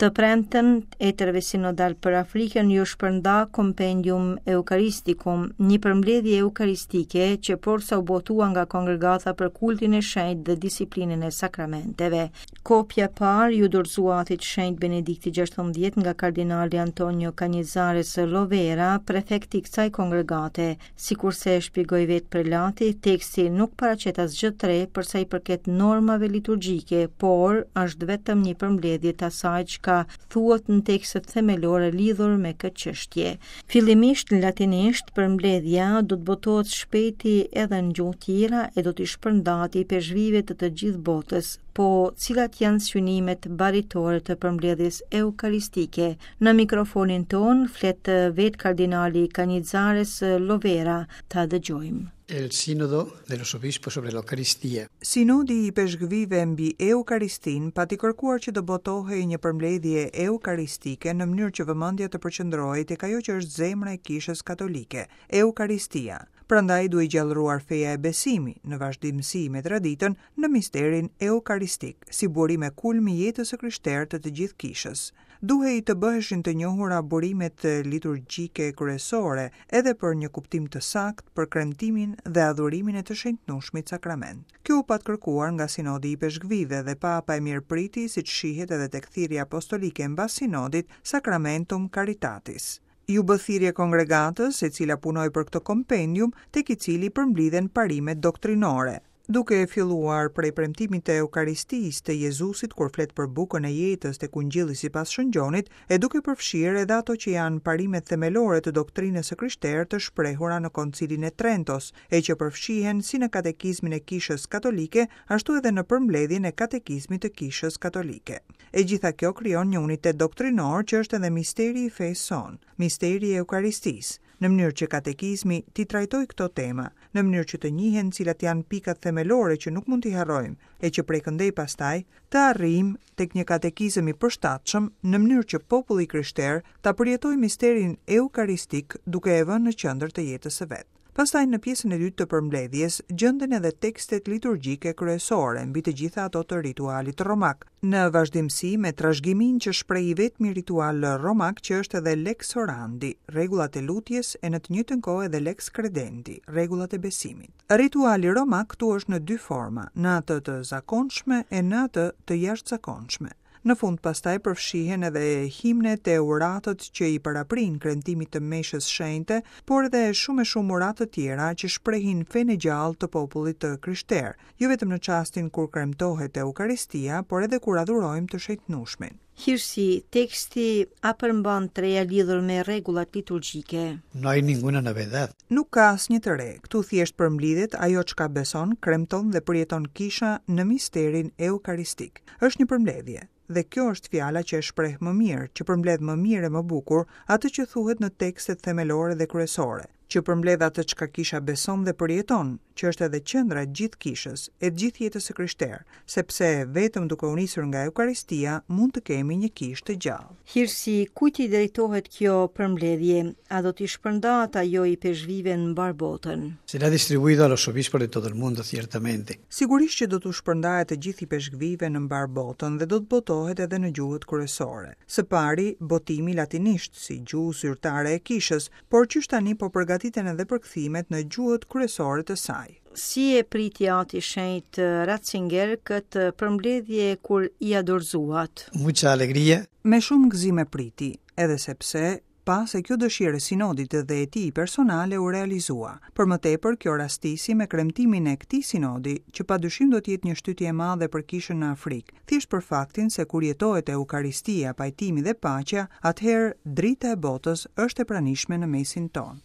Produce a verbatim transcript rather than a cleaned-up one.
Të premten, etërve sinodal për Afrikën ju shpërnda Compendium Eucharisticum, një përmbledhje eukaristike që porsa u botua nga Kongregata për Kultin e Shenjtë dhe Disiplinën e Sakramenteve. Kopja e parë ju dorëzua Atit Shenjt Benedikti gjashtëmbëdhjetë nga kardinali Antonio Canizares Lovera, prefekti i kësaj kongregate. Sikurse e shpjegoi vetë prelati, teksti nuk paraqet asgjë të re për sa i përket normave liturgjike, por është vetëm një përmbledhje të asaj çka thuhet në tekstet themelore lidhur me këtë çështje. Fillimisht në latinisht, përmbledhja do të botohet shpejti edhe në gjuhë tjera e do t'i shpërndahet ipeshkvijve të të gjithë botës. Po cilat janë synimet baritore të përmbledhjes eukaristike? Në mikrofonin ton flet vetë kardinali Canizares Lovera, ta dëgjojmë. El Sínodo de los Obispos sobre la Eucaristía. Sinodi i Ipeshkvijve mbi Eukaristin pati kërkuar që të botohej një përmbledhje eukaristike në mënyrë që vëmendja të përqendrohej tek ajo që është zemra e Kishës Katolike, Eukaristia. Prandaj duhej gjallëruar feja e besimi në vazhdimësi me traditën në misterin eukaristik, si burim e kulm i jetës së krishterë të të gjithë kishës. Duhej të bëheshin të njohura burimet liturgjike kryesore edhe për një kuptim të saktë për kremtimin dhe adhurimin e të shenjtnueshmit sakrament. Kjo u pat kërkuar nga Sinodi i Ipeshkvijve dhe Papa e mirëpriti, siç shihet edhe tek thirrja apostolike mbas sinodit, Sacramentum Caritatis. Ju bë thirrje kongregatës, e cila punoi për këtë kompendium, tek i cili përmblidhen parimet doktrinore. Duke e filluar prej premtimit të Eukaristisë të Jezusit kur flet për bukën e jetës tek Ungjilli sipas Shën Gjonit, e duke përfshirë edhe ato që janë parimet themelore të doktrinës së krishterë të shprehura në Koncilin e Trentos, e që përfshihen si në katekizmin e Kishës Katolike, ashtu edhe në përmbledhjen e katekizmit të Kishës Katolike. E gjitha kjo krijon një unitet doktrinor që është edhe misteri i fesë sonë, misteri i Eukaristisë, në mënyrë që katekizmi t'i trajtojë këto tema, në mënyrë që të njihen cilat janë pikat themelore që nuk mund t'i harrojmë, e që prej këndej pastaj të arrijmë tek një katekizëm i përshtatshëm në mënyrë që populli i krishterë ta përjetojë misterin eukaristik duke e vënë në qendër të jetës së vet. Pastaj në pjesën e dytë të përmbledhjes gjenden edhe tekstet liturgjike kryesore, mbi të gjitha ato të ritualit romak, në vazhdimësi me trashëgiminë që shpreh i vetmi ritual romak që është edhe lex orandi, rregullat e lutjes e në të njëjtën kohë edhe lex credendi, rregullat e besimit. Rituali romak këtu është në dy forma, në atë të zakonshme e në atë të jashtëzakonshme. Në fund pastaj përfshihen edhe himnet e uratët që i paraprin kremtimit të meshës shenjte, por edhe shumë e shumë uratë të tjera që shprehin fenë e gjallë të popullit të krishterë, jo vetëm në çastin kur kremtohet Eukaristia, por edhe kur adhurojmë të shenjtnueshmin. Hirësi, teksti a përmban të reja lidhur me rregullat liturgjike? No hay ninguna novedad. Nuk ka asnjë të re. Këtu thjesht përmblidhet ajo çka beson, kremton dhe përjeton kisha në misterin eukaristik. Është një përmbledhje. Dhe kjo është fjala që e shpreh më mirë, që përmbledh më mirë e më bukur atë që thuhet në tekstet themelore dhe kryesore, që përmbledh atë çka kisha beson dhe përjeton, që është edhe qendra e gjithë kishës, e gjithë jetës së krishterë, sepse vetëm duke u nisur nga Eukaristia mund të kemi një kishë të gjallë. Hirësi, kujt i drejtohet kjo përmbledhje? A do t'i shpërndahet ajo ipeshkvijve në mbar botën? Será distribuido a los obispos de todo el mundo, ciertamente. Sigurisht që do t'u shpërndahet të gjithë ipeshkvijve në mbar botën dhe do të botohet edhe në gjuhët kryesore. Së pari, botimi latinisht si gjuhë zyrtare e kishës, por qysh tani po përgatiten edhe përkthimet në gjuhët kryesore të saj. Si e priti Ati Shenjt Ratzinger këtë përmbledhje kur ia dorëzuat? Mucha alegría. Me shumë gëzim e priti, edhe sepse pa se kjo dëshirë e sinodit dhe e tij personale u realizua. Për më tepër, kjo rastisi me kremtimin e këtij sinodi, që padyshim do të jetë një shtytje e madhe për kishën në Afrikë, thjesht për faktin se kur jetohet Eukaristia, pajtimi dhe paqja, atëherë drita e botës është e pranishme në mesin tonë.